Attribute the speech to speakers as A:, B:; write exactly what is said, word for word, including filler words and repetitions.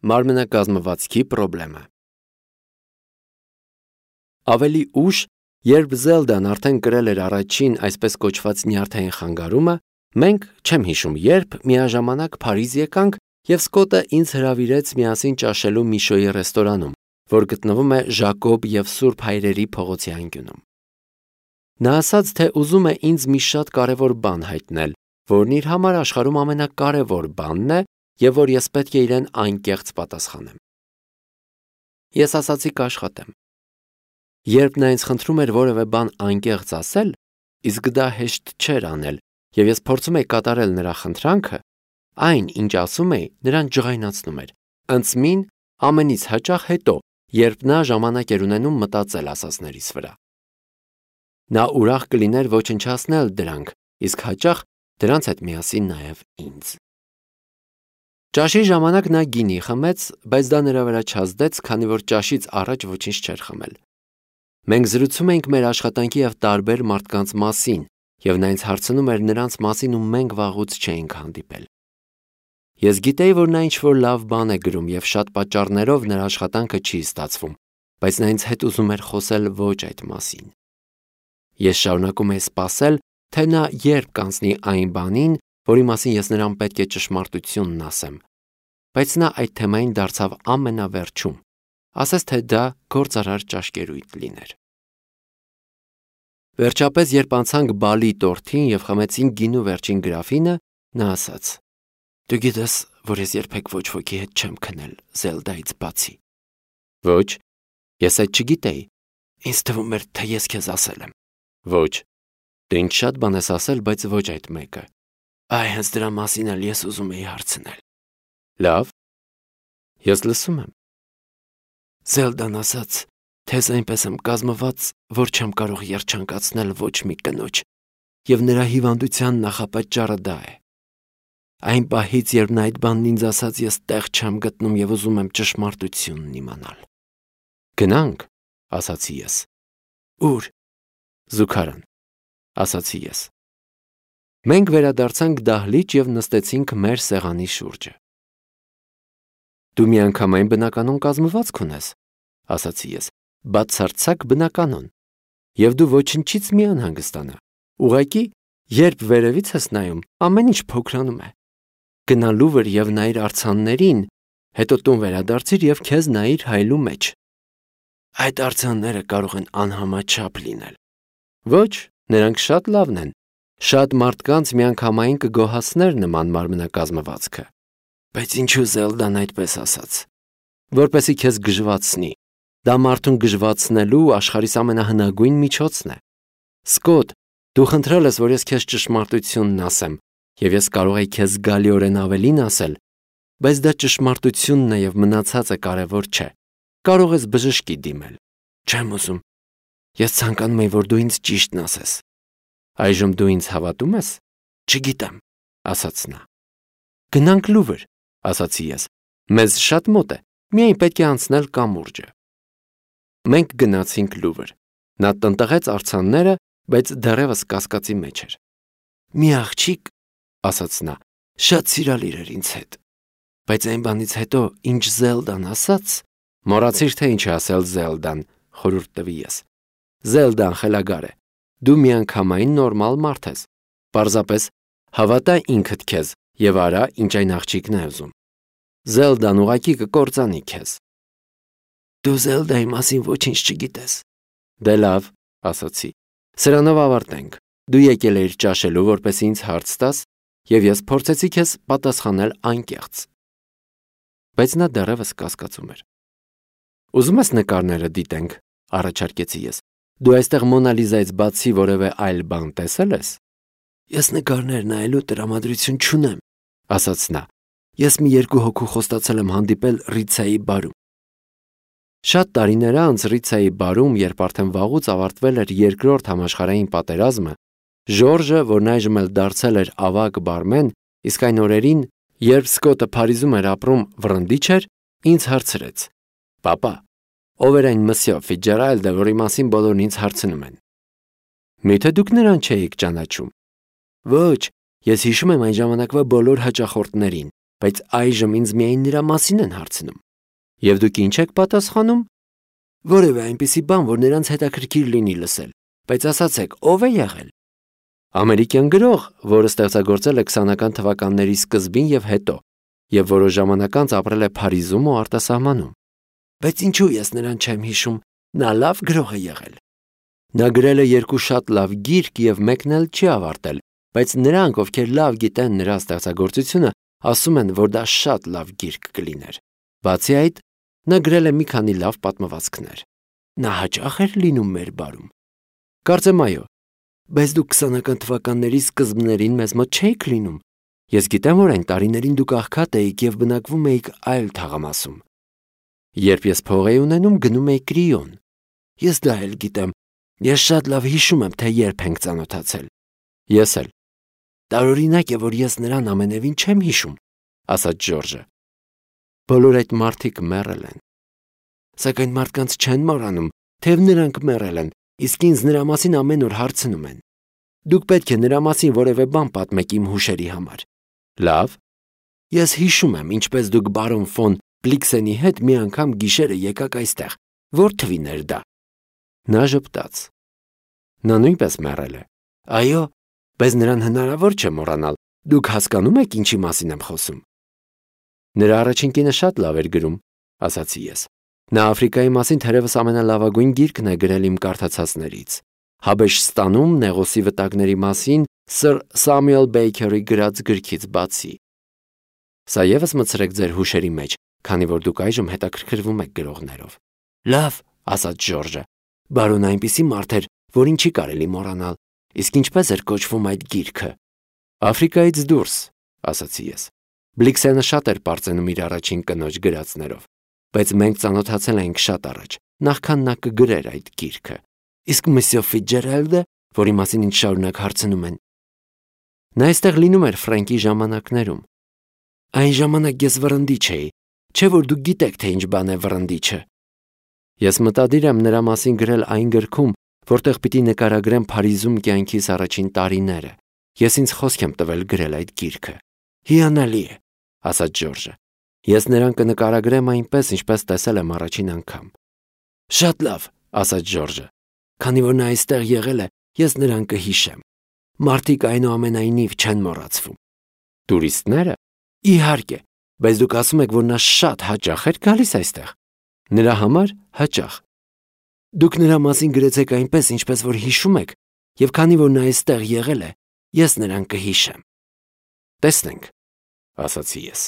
A: Մարմնակազմվածքի պրոբլեմը։ Ավելի ուշ, երբ Զելդան արդեն կրել էր առաջին այսպես կոչված նյարդային խանգարումը, մենք, չեմ հիշում երբ, միաժամանակ Փարիզ եկանք և Սկոտը ինձ հրավիրեց միասին ճաշելու Միշոյի ռեստորանում, որ գտնվում է Ժակոբ և Սուրբ Հայրերի փողոցի անկյունում։ Նա ասաց, թե ուզում է ինձ մի շատ կարևոր բան հայտնել, որն իր համար աշխարհում ամենակարևոր բանն է և որ ես պետք է իրեն անկեղծ պատասխանեմ։ Ես ասացի կաշխատեմ։ Երբ նա ինձ խնդրում էր որևէ բան անկեղծ ասել, իսկ դա հեշտ չէր անել, և ես փորձում էի կատարել նրա խնդրանքը, այն, ինչ ասում էի, նրան ջղայնացնում էր, ընդմին ամենից հաճախ հետո, երբ նա ժամանակ էր ունենում մտածել ասածներիս վրա։ Նա ուրախ կլիներ ոչնչացնել դրանք, իսկ հաճախ դրանց հետ միասին նաև ինձ։ Ճաշի ժամանակ նա գինի խմեց, բայց դա նրա վրա չազդեց, քանի որ ճաշից առաջ ոչինչ չէր խմել։ Մենք զրուցում էինք մեր աշխատանքի և տարբեր մարդկանց մասին, և նա ինձ հարցնում էր նրանց մասին ու մենք վաղուց չէինք հանդիպել։ Ես գիտեի, որ նա ինչ-որ լավ բան է գրում և շատ պատճառներով նրա աշխատանքը չի ստացվում, բայց նա ինձ հետ ուզում էր խոսել ոչ այդ մասին։ Ես շարունակում էի սպասել, թե նա երբ կանցնի այն բանին, որի մասին ես նրան պետք է ճշմարտությունն ասեմ, բայց նա այդ թեմային դարձավ ամենավերջում, ասես թե դա գործարար ճաշկերույթ լիներ։ Վերջապես, երբ անցանք բալի տորթին և խմեցինք գինու վերջին գրաֆինը, նա ասաց. «Դու գիտես, որ ես երբեք ոչ ոքի հետ չեմ քնել Զելդայից բացի»։ Ոչ, ես այդ չգիտեի։ Ինձ թվում էր, թե ես քեզ ասել եմ։ Ոչ, դու ինձ շատ բան ես ասել, բայց ոչ այդ մեկը։ Այ հենց դրա մասին էլ ես ուզում էի հարցնել։ Լավ, ես լսում եմ։ Զելդան ասաց, թե ես այնպես եմ կազմված, որ չեմ կարող երջանկացնել ոչ մի կնոջ, և նրա հիվանդության նախապատճառը դա է։ Այն պահից, երբ նա այդ բանն ինձ ասաց, ես տեղ չեմ գտնում և ուզում եմ ճշմարտությունն իմանալ։ Գնանք, ասացի ես։ Ուր։ Զուգարան, ասացի ես։ Մենք վերադարձանք դահլիճ և նստեցինք մեր սեղանի շուրջը։ Դու միանգամայն բնականոն կազմվածք ունես, ասացի ես, բացարձակ բնականոն, և դու ոչնչից մի անհանգստանա, ուղղակի, երբ վերևից ես նայում, ամեն ինչ փոքրանում է։ Գնա Լուվր և նայիր արձաններին, հետո տուն վերադարձիր և քեզ նայիր հայլու մեջ։ Այդ արձանները կարող են անհամաչափ լինել։ Ոչ, նրանք շատ լավն են։ Շատ մարդկանց միանգամայն կգոհացներ նման մարմնակազմվածքը։ Բայց ինչու Զելդան այդպես ասաց։ Որպեսզի քեզ գժվացնի։ Դա մարդուն գժվացնելու աշխարհիս ամենահնագույն միջոցն է։ Սկոտ, դու խնդրել ես, որ ես քեզ ճշմարտությունն ասեմ, և ես կարող էի քեզ զգալիորեն ավելին ասել, բայց դա ճշմարտությունն է և մնացածը կարևոր չէ։ Կարող ես բժշկի դիմել։ Չեմ ուզում։ Ես ցանկանում եի, որ դու ինձ ճիշտն ասես։ Այժմ դու ինձ հավատում ես։ Չգիտեմ, ասաց նա։ Գնանք Լուվր, ասացի ես։ Մեզ շատ մոտ է, միայն պետք է անցնել կամուրջը։ Մենք գնացինք Լուվր։ Նա տնտղեց արձանները, բայց դեռևս կասկածի մեջ էր։ Մի աղջիկ, ասաց նա, շատ սիրալիր էր ինձ հետ։ Բայց այն բանից հետո, ինչ Զելդան ասաց, մոռացիր, թե ինչ է ասել Զելդան, խորհուրդ տվի ես։ Զելդան խելագար է։ Դու միանգամայն նորմալ մարդ ես։ Պարզապես հավատա ինքդ քեզ և արա, ինչ այն աղջիկն է ուզում։ Զելդան ուղղակի կկործանի քեզ։ Դու Զելդայի մասին ոչինչ չգիտես։ Դե լավ, ասացի։ Սրանով ավարտենք։ Դու եկել էիր ճաշելու, որպեսզի ինձ հարց տաս, և ես փորձեցի քեզ պատասխանել անկեղծ։ Բայց նա դեռևս կասկածում էր։ Ուզում ես նկարները դիտենք, առաջարկեցի ես։ Դու այստեղ Մոնա Լիզայից բացի որևէ այլ բան տեսել ես։ Ես նկարներ նայելու տրամադրություն չունեմ, ասաց նա։ Ես մի երկու հոգու խոստացել եմ հանդիպել Ռիցայի բարում։ Շատ տարիներ անց Ռիցայի բարում, երբ արդեն վաղուց ավարտվել էր երկրորդ համաշխարհային պատերազմը, Ժորժը, որն այժմ էլ դարձել էր ավագ բարմեն, իսկ այն օրերին, երբ Սկոտը Փարիզում էր ապրում, վռնդիչ էր, ինձ հարցրեց. Պապա, ով էր այն Մսյո Ֆիցջերալդը, որի մասին բոլորն ինձ հարցնում են։ Միթե դուք նրան չէիք ճանաչում։ Ոչ, ես հիշում եմ այն ժամանակվա բոլոր հաճախորդներին, բայց այժմ ինձ միայն նրա մասին են հարցնում։ Եվ դուք ինչ եք պատասխանում։ Որևէ այնպիսի բան, որ նրանց հետաքրքիր լինի լսել, բայց ասացեք, ով է եղել։ Ամերիկյան գրող, որը ստեղծագործել է քսանական թվականների սկզբին եւ հետո, եւ որոշ ժամանակ անց ապրել է Փարիզում ու արտասահմանում։ Բայց ինչու ես նրան չեմ հիշում, նա լավ գրող է եղել։ Նա գրել է երկու շատ լավ գիրք եւ մեկն էլ չի ավարտել, բայց նրանք, ովքեր լավ գիտեն նրա ստեղծագործությունը, ասում են, որ դա շատ լավ գիրք կլիներ։ Բացի այդ, նա գրել է մի քանի լավ պատմվածքներ։ Նա հաճախ էր լինում մեր բարում։ Կարծեմ այո, բայց դուք քսանական թվականների սկզբներին մեզ մոտ չէիք լինում։ Ես գիտեմ, որ այն տարիներին դուք աղքատ էիք եւ բնակվում էիք այլ թաղամասում։ Երբ ես փող էի ունենում, գնում էի Կրիոն։ Ես դա էլ գիտեմ։ Ես շատ լավ հիշում եմ, թե երբ ենք ծանոթացել։ Ես էլ։ Տարօրինակ է, որ ես նրան ամենևին չեմ հիշում, ասաց Ջորջը։ Բոլոր այդ մարդիկ մեռել են։ Սակայն մարդկանց չեն մոռանում, թեև նրանք մեռել են, իսկ ինձ նրա մասին ամեն օր հարցնում են։ Դուք պետք է նրա մասին որևէ բան պատմեք իմ հուշերի համար։ Լավ։ Ես հիշում եմ, ինչպես դուք բարոն ֆոն Բլիքսենի հետ մի անգամ գիշերը եկաք այստեղ։ Որ թվին էր դա։ Նա ժպտաց։ Նա նույնպես մեռել է։ Այո, բայց նրան հնարավոր չէ մոռանալ։ Դուք հասկանում եք ինչի մասին եմ խոսում։ Նրա առաջին կինը շատ լավ էր գրում, ասացի ես։ Նա Աֆրիկայի մասին թերևս ամենալավագույն գիրքն է գրել իմ կարդացածներից։ Հաբեշստանում նեղոսի վտակների մասին սր Սամյուել Բեյքերի գրած գրքից բացի։ Սա ևս մտցրեք ձեր հուշերի մեջ, քանի որ դուք այժմ հետաքրքրվում եք գրողներով։ Լավ, ասաց Ջորջը։ Բարոն այնպիսի մարդ էր, որին չի կարելի մոռանալ։ Իսկ ինչպես էր կոչվում այդ գիրքը։ Աֆրիկայից դուրս, ասացի ես։ Բլիքսենը շատ էր պարծենում իր առաջին կնոջ գրածներով, բայց մենք ծանոթացել ենք շատ առաջ, նախքան նա կգրեր այդ գիրքը։ Իսկ Մսյո Ֆիցջերալդը, որի մասին ինձ շարունակ հարցնում են։ Նա այստեղ լինում էր Ֆրենկի ժամանակներում։ Այն ժամանակ ես վռնդիչ էի, չէ՞ որ դուք գիտեք, թե ինչ բան է վռնդիչը։ Ես մտադիր եմ նրա մասին գրել այն գրքում, որտեղ պիտի նկարագրեմ Փարիզում կյանքիս առաջին տարիները։ Ես ինձ խոսք եմ տվել գրել այդ գիրքը։ Հիանալի է, ասաց Ջորջը։ Ես նրան կնկարագրեմ այնպես, ինչպես տեսել եմ առաջին անգամ։ Շատ լավ, ասաց Ջորջը։ Քանի որ նա այստեղ եղել է, ես նրան կհիշեմ։ Մարդիկ այնուամենայնիվ չեն մոռացվում։ Տուրիստները։ Իհարկե, բայց դուք ասում եք, որ նա շատ հաճախ էր գալիս այստեղ։ Նրա համար հաճախ։ Դուք նրա մասին գրեցեք այնպես, ինչպես որ հիշում եք, եւ քանի որ նա այստեղ եղել է, ես նրան կհիշեմ։ Տեսնենք, ասացի ես։